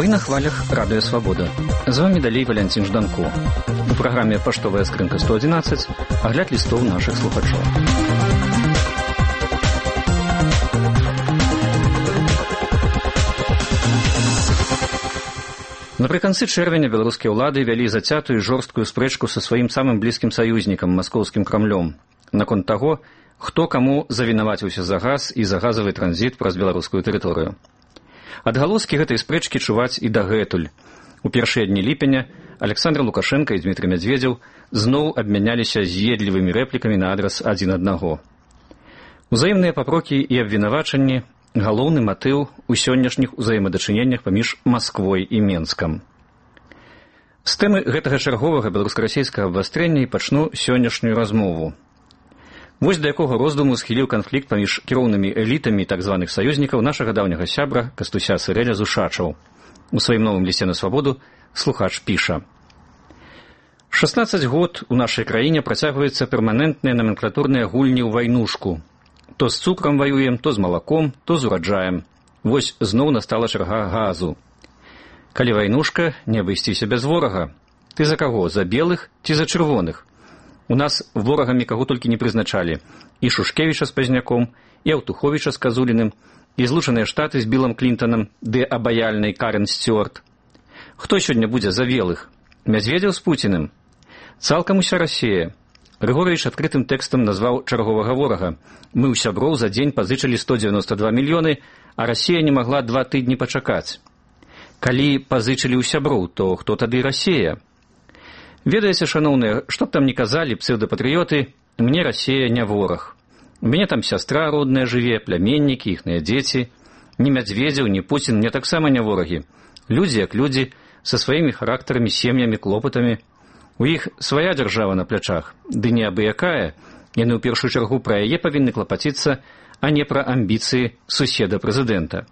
Вы на хвалях Радыё Свабода. З вами далей Валянцін Жданко. У праграме «Паштовая скрынка 111» агляд лістоў нашых слухачоў. Напрыканцы чэрвеня беларускія ўлады вялі зацятую жорсткую спрэчку са сваім самым блізкім саюзнікам, маскоўскім Крамлём, наконт таго, хто каму завінаваціўся за газ і за газавы транзіт праз беларускую тэрыторыю. Адгалоскі гэтай спрэчкі чуваць і дагэтуль. У першыя дні ліпеня Александр Лукашенко і Дмітрий Медведзеў зноў абмяняліся з'едлівымі рэплікамі на адрас адзін аднаго. Узаемныя папрокі і абвінавачанні – галоўны матыў у сённяшніх узаемадачыненнях паміж Масквой і Менскам. З тэмы гэтага чарговага беларуска-расейскага абвастрэння і пачну сённяшнюю размову. Вось да якога роздуму схіліў канфлікт паміж кіроўнымі элітамі так званых саюзнікаў нашага даўняга сябра Кастуся Сырэля Зушачаў. У сваім новым лісце на свабоду слухач піша: 16 год у нашай краіне працягваюцца перманентныя наменклатурныя гульні ў вайнушку. То з цукрам ваюем, то з малаком, то з ураджаем. Вось зноў настала чарга газу. Калі вайнушка, не абысціся без ворага. Ты за каго, за белых ці за чырвоных? У нас ворагамі каго толькі не прызначалі. І Шушкевіча з Пазняком, і Аўтуховіча з Казуліным, і Злучаныя Штаты з Білам Клінтонам, ды абаяльнай Карен Сцюарт. Хто сёння будзе за белых? Медведзеў з Пуціным? Цалкам уся Расія. Григорович адкрытым тэкстам назваў чарговага ворага. Мы ў сяброў за дзень пазычылі 192 мільёны, а Расія не магла 2 тыдні пачакаць. Калі пазычылі ў сяброў, то хто тады Расія? Ведаеце, шаноўныя, што б там ні казалі псеўдапатрыёты, мне Расія не вораг. У мяне там сястра родная жыве, пляменнікі, іхныя дзеці. Ні Медведзеў, ні Пуцін мне таксама не ворагі. Людзі як людзі, са сваімі характарамі, сем'ямі, клопатамі. У іх свая дзяржава на плячах, ды не абы-якая, яны ў першую чаргу пра яе павінны клапаціцца, а не пра амбіцыі суседа-прэзідэнта.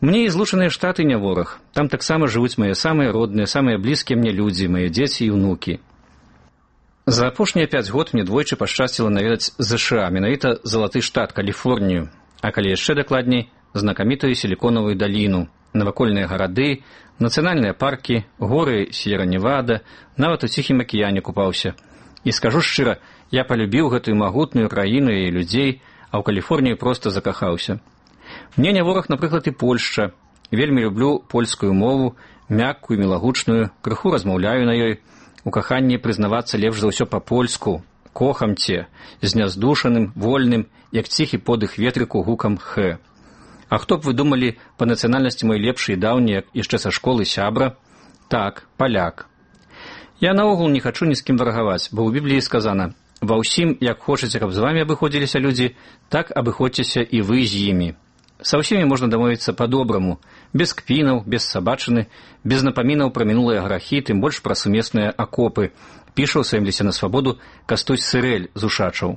Мне і Злучаныя Штаты не вораг, там таксама жывуць мае самыя родныя, самыя блізкія мне людзі, мае дзеці і ўнукі. За апошнія 5 год мне двойчы пашчасціла наведаць ЗША, менавіта залаты штат, Каліфорнію, а калі яшчэ дакладней, знакамітую сіліконавую даліну, навакольныя гарады, нацыянальныя паркі, горы С'ера-Невада, нават у Ціхім акіяне купаўся. І скажу шчыра, я палюбіў гэтую магутную краіну і людзей, а ў Каліфорнію проста закахаўся. Мне не вораг, напрыклад, і Польшча. Вельмі люблю польскую мову, мяккую, мілагучную, крыху размаўляю на ёй. У каханні прызнавацца лепш за ўсё па-польску. Кохамце, зняздушаным, вольным, як ціхі подых ветрыку гукам «х». А хто б вы думалі па нацыянальнасці мой лепшы і даўні, як яшчэ са школы сябра? Так, паляк. Я наогул не хачу ні з кім варагаваць, бо ў Бібліі сказана: «Ва ўсім, як хочаце, каб з вамі абыходзіліся людзі, так абыходзьцеся і вы з імі». Са ўсімі можна дамовіцца па-добраму, без кпінаў, без сабачыны, без напамінаў пра мінулыя грахі, тым больш пра сумесныя акопы, піша ў сваім лісце на свабоду Кастусь Сырэль Зушачаў.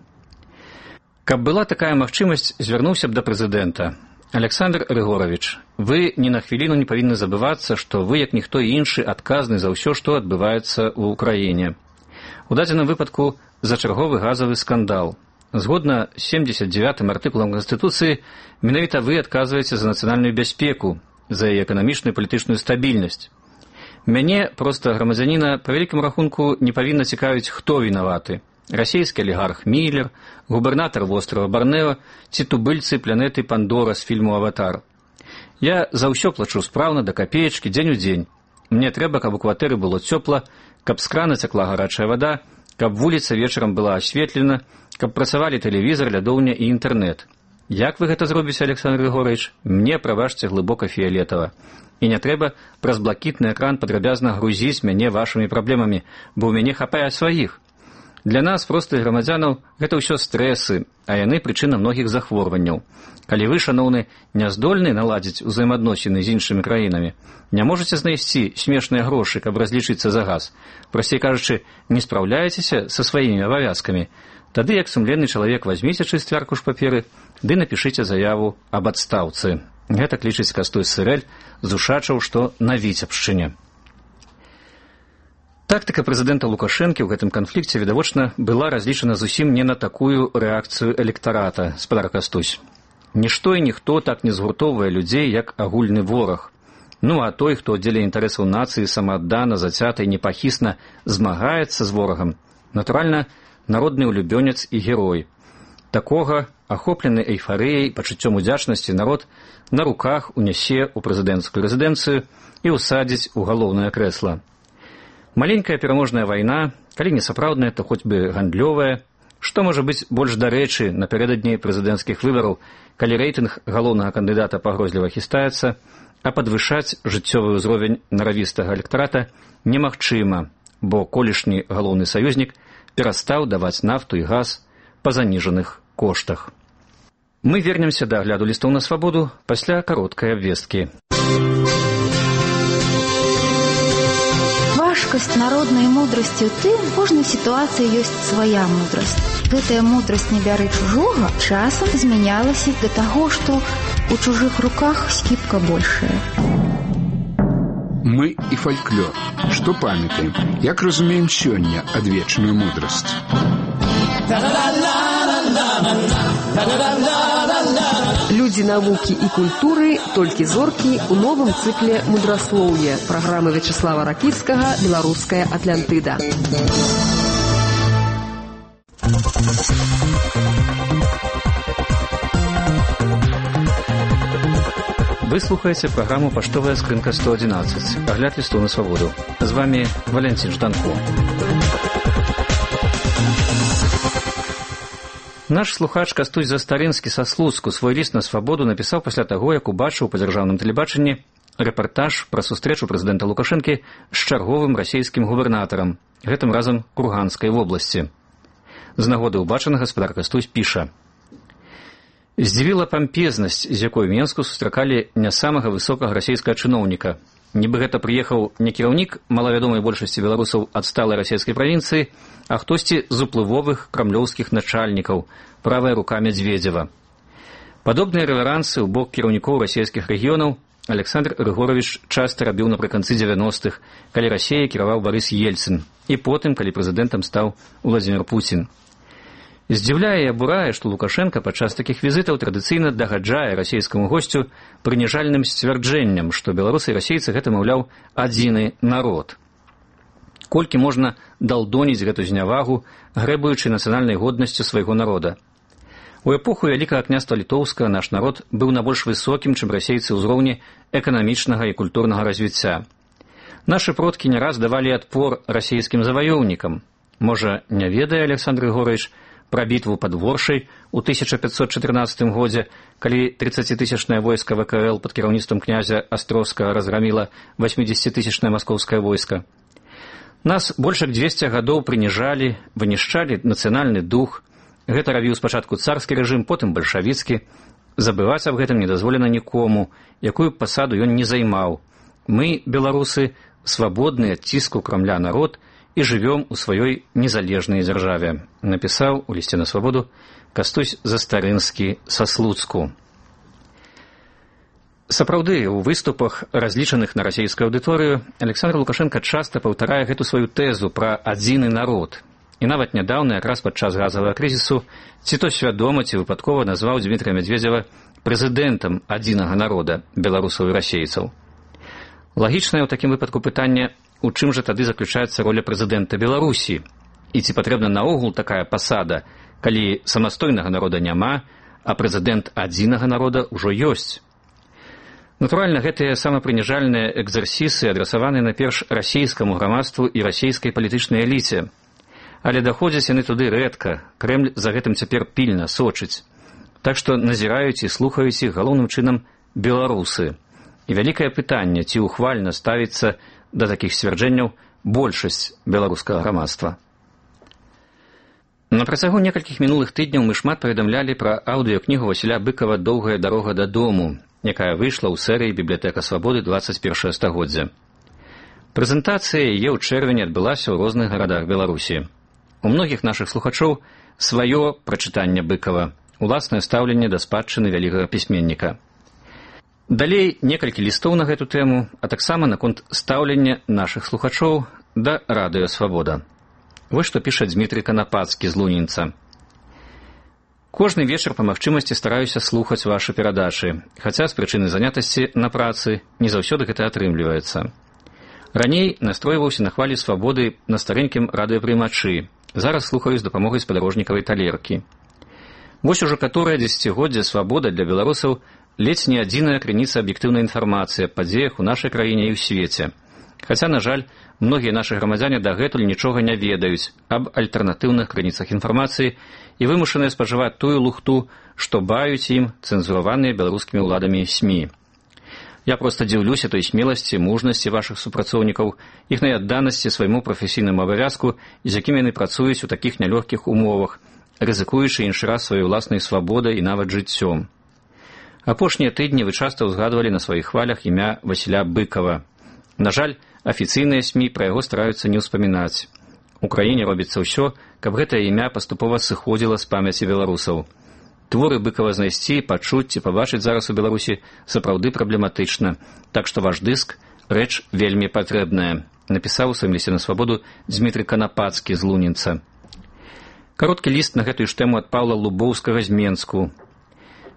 Каб была такая магчымасць, звярнуўся б да прэзідэнта. Александр Григорович, вы ні на хвіліну не павінны забывацца, што вы, як ніхто іншы, адказны за ўсё, што адбываецца ў Украіне. У дадзеным выпадку за чарговы газавы скандал. Згодна з 79-м артыкулам Канстытуцыі, менавіта вы адказваеце за нацыянальную бяспеку, за яе эканамічную і палітычную стабільнасць. Мяне, проста грамадзяніна, па вялікім рахунку не павінна цікавіць, хто вінаваты. Расійскі алігарх Міллер, губернатар вострава Барнео ці тубыльцы планеты Пандора з фільму «Аватар». Я за ўсё плачу спраўна да капеечкі, дзень у дзень. Мне трэба, каб у кватэры было цёпла, каб з крана цякла гарачая вада, каб вуліца вечарам была асветлена, каб працавалі тэлевізор, лядоўня і інтэрнэт. Як вы гэта зробіце, Александр Григорович? Мне, прабачце, глыбока фіялетава. І не трэба праз блакітны экран падрабязна грузіць мяне вашымі праблемамі, бо ў мяне хапае сваіх. Для нас, простых грамадзянаў, гэта ўсё стрэсы, а яны прычына многіх захворванняў. Калі вы, шаноўны, не здольны наладзіць узаемадносіны з іншымі краінамі, не можаце знайсці смешныя грошы, каб разлічыцца за газ, прасцей кажучы, не спраўляецеся са сваімі абавязкамі, тады як сумленны чалавек вазьміце чысты аркуш паперы ды напішыце заяву аб адстаўцы. Гэта лічыць Кастусь Сырэль Зушачаў, што на Віцебшчыне. Тактыка прэзідэнта Лукашэнкі ў гэтым канфлікце, відавочна, была разлічана зусім не на такую рэакцыю электарата, спадар Кастусь. Нішто і ніхто так не згуртоўвае людзей, як агульны вораг. Ну а той, хто дзеля інтарэсаў нацыі самааддана, зацята і непахісна змагаецца з ворагам, натуральна, народны улюбёнец і герой. Такога, ахоплены эйфарыяй, пачуццём удзячнасці, народ на руках унясе ў прэзідэнцкую рэзідэнцыю і ўсадзіць у галоўнае крэсла. Маленькая пераможная вайна, калі не сапраўдная, то хоць бы гандлёвая, што можа быць больш дарэчы напярэдадні прэзідэнцкіх выбараў, калі рэйтынг галоўнага кандыдата пагрозліва хістаецца, а падвышаць жыццёвы ўзровень наравістага электарата немагчыма, бо колішні галоўны саюзнік перастаў даваць нафту і газ па заніжаных коштах. Мы вернемся да агляду лістоў на свабоду пасля кароткай абвесткі. Важкасць народнай мудрасці ў тым, у кожнай сітуацыі ёсць свая мудрасць. Гэтая мудрасць не бяры чужога часам змянялася да таго, што у чужых руках скіпка большая. Мы і фальклор. Што памятаем? Як разумеем сёння адвечную мудрасць? Людзі навукі і культуры, толькі зоркі ў новым цыкле мудраслоўя праграмы Вячеслава Ракіцкага «Беларуская Атлантыда». Вы слухаеце праграму «Паштовая скрынка 111». Агляд лістоў на свабоду. З вами Валянцін Жданко. Наш слухач Кастусь Застарынскі са Слуцку свой ліст на свабоду напісаў пасля таго, як убачыў па дзяржаўным тэлебачанні рэпартаж пра сустрэчу прэзідэнта Лукашэнкі з чарговым расійскім губернатарам, гэтым разам Курганскай вобласці. З нагоды ўбачанага гаспадар Кастусь піша: «Здзівіла пампезнасць, з якой Менску сустракалі не самага высокага расійскага чыноўніка. Нібы гэта прыехаў не кіраўнік малавядомай большасці беларусаў адсталай расійскай правінцыі, а хтосьці з уплывовых крамлёўскіх начальнікаў, правая рука Медведзева. Падобныя рэверансы ў бок кіраўнікоў расійскіх рэгіёнаў Александр Григорович часта рабіў напрыканцы 90-х, калі Расіяй кіраваў Барыс Ельцын, і потым, калі прэзідэнтам стаў Уладзімір Пуцін. Здзіўляе і абурае, што Лукашенка падчас такіх візітаў традыцыйна дагаджае расійскаму госцю прыніжальным сцвярджэнням, што беларусы і расейцы гэта, маўляў, адзіны народ. Колькі можна далдоніць гэту знявагу, грэбуючы нацыянальнай годнасцю свайго народа. У эпоху Вялікага княства Літоўскага наш народ быў на больш высокім, чым расейцы ўзроўні эканамічнага і культурнага развіцця. Нашы продкі не раз давалі адпор расійскім заваёўнікам. Можа, не ведае Александр Григорович пра бітву пад Воршай у 1514 годзе, калі 30-тысячнае войска ВКЛ пад кіраўніцтвам князя Астроўскага разграміла 80-тысячнае маскоўскае войска. Нас больш як 200 гадоў прыніжалі, вынішчалі нацыянальны дух. Гэта рабіў спачатку царскі рэжым, потым бальшавіцкі. Забываць аб гэтым не дазволена нікому, якую пасаду ён не займаў. Мы, беларусы, свабодны ад ціску Крамля народ, і жывём у сваёй незалежнай дзяржаве, напісаў у лісце на свабоду Кастусь Застарынскі са Слуцку. Сапраўды, у выступах, разлічаных на расійскую аўдыторыю, Александр Лукашенко часта паўтарае гэту сваю тэзу пра адзіны народ. І нават нядаўна, якраз падчас газавага крызісу, ці то свядома, ці выпадкова назваў Дмітрия Медведзева прэзідэнтам адзінага народа, беларусаў і расейцаў. Лагічнае ў такім выпадку пытанне, у чым жа тады заключаецца роля прэзідэнта Беларусі? І ці патрэбна наогул такая пасада, калі самастойнага народа няма, а прэзідэнт адзінага народа ўжо ёсць? Натуральна, гэтыя самапрыніжальныя экзерсісы адрасаваны найперш расійскаму грамадству і расійскай палітычнай эліце. Але даходзяць яны туды рэдка, Крэмль за гэтым цяпер пільна сочыць. Так што назіраюць і слухаюць іх галоўным чынам беларусы. І вялікае пытанне, ці ухвальна ставіцца да такіх сцвярджэнняў большасць беларускага грамадства. На працягу некалькіх мінулых тыдняў мы шмат паведамлялі пра аўдыёкнігу Васіля Быкава «Доўгая дарога дадому», якая выйшла ў серыі «Бібліятэка свабоды 21 стагоддзя». Прэзентацыя яе ў чэрвені адбылася ў розных гарадах Беларусі. У многіх нашых слухачоў сваё прачытанне Быкава, уласнае стаўленне да спадчыны вялікага пісьменніка. Далей некалькі лістоў на гэту тэму, а таксама наконт стаўлення нашых слухачоў да радыё «Свабода». Вось што піша Дмітрый Канапацкі з Лунінца. Кожны вечар па магчымасці стараюся слухаць вашы перадачы, хаця з прычыны занятасці на працы не заўсёды гэта атрымліваецца. Раней настройваўся на хвалі свабоды на старэнькім радыёпрымачы. Зараз слухаю з дапамогай спадарожнікавай талеркі. Вось ужо каторае дзесяцігоддзе свабода для беларусаў ледзь не адзіная крыніца аб'ектыўнай інфармацыі аб падзеях у нашай краіне і ў свеце. Хаця, на жаль, многія нашы грамадзяне дагэтуль нічога не ведаюць аб альтэрнатыўных крыніцах інфармацыі і вымушаныя спажываць тую лухту, што баюць ім цэнзураваныя беларускімі ўладамі СМІ. Я проста дзіўлюся той смеласці, мужнасці вашых супрацоўнікаў, іхнай адданасці свайму прафесійнаму абавязку, з якімі яны працуюць у такіх нялёгкіх умовах, рызыкуючы іншы раз сваёй уласнай свабодай і нават жыццём. Апошнія тыдні вы часта ўзгадвалі на сваіх хвалях імя Васіля Быкава. На жаль, афіцыйныя СМІ пра яго стараюцца не ўспамінаць. У краіне робіцца ўсё, каб гэтае імя паступова сыходзіла з памяці беларусаў. Творы Быкава знайсці, пачуць ці пабачыць зараз у Беларусі сапраўды праблематычна, так што ваш дыск – рэч вельмі патрэбная, напісаў у сваім лісце на свабоду Дзмітрый Канапацкі з Лунінца. Кароткі ліст на гэтую ж тэму ад Паўла Лубоўскага з Менску.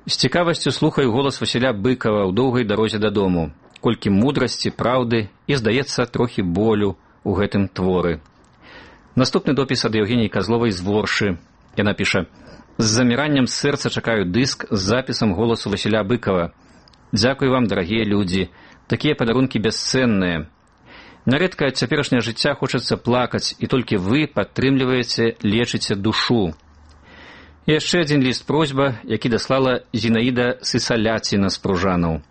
З цікавасцю слухаю голас Васіля Быкава ў доўгай дарозе дадому. Колькі мудрасці, праўды і, здаецца, трохі болю ў гэтым творы. Наступны допіс ад Евгеніі Казловай з Воршы. Яна піша: «З заміраннем сэрца чакаю дыск з запісам голасу Васіля Быкава. Дзякуй вам, дарагія людзі. Такія падарункі бясцэнныя. Нярэдка ад цяперашняга жыцця хочацца плакаць, і толькі вы падтрымліваеце, лечыце душу». І яшчэ адзін ліст-просьба, які даслала Зінаіда Сысаляціна з Пружанаў.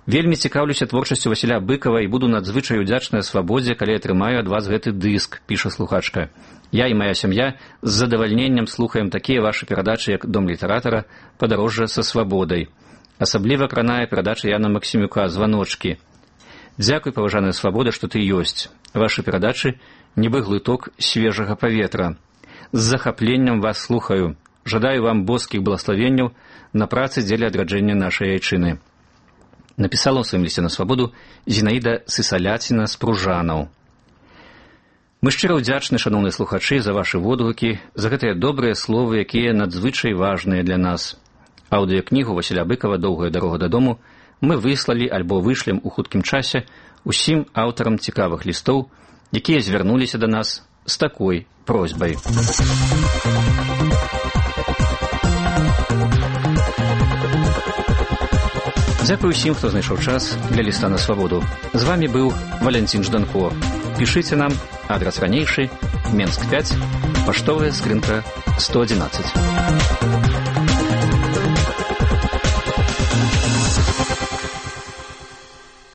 «Вельмі цікаўлюся творчасцю Васіля Быкава і буду надзвычай удзячная свабодзе, калі атрымаю ад вас гэты дыск», піша слухачка. «Я і моя сям'я з задавальненнем слухаем такія вашы перадачы, як «Дом літаратара», «Падарожжа са свабодай». Асабліва кранае перадача Яна Максімюка «Званочкі». Дзякуй, паважаная свабода, што ты ёсць. Вашы перадачы нібы глыток свежага паветра. З захапленнем вас слухаю. Жадаю вам боскіх благаславенняў на працы дзеля адраджэння нашай айчыны». Напісала ў сваім лісце на свабоду Зінаіда Сысаляціна з Пружанаў. Мы шчыра ўдзячны, шаноўныя слухачы, за вашы водгукі, за гэтыя добрыя словы, якія надзвычай важныя для нас. Аўдыёкнігу Васіля Быкава «Доўгая дарога дадому» мы выслалі альбо вышлем у хуткім часе усім аўтарам цікавых лістоў, якія звярнуліся да нас з такой просьбай. Дзякуй усім, хто знайшоў час для ліста на свабоду. З вами быў Валянцін Жданко. Пішыце нам, адрас ранейшы, Менск 5, паштовая скрынка 111.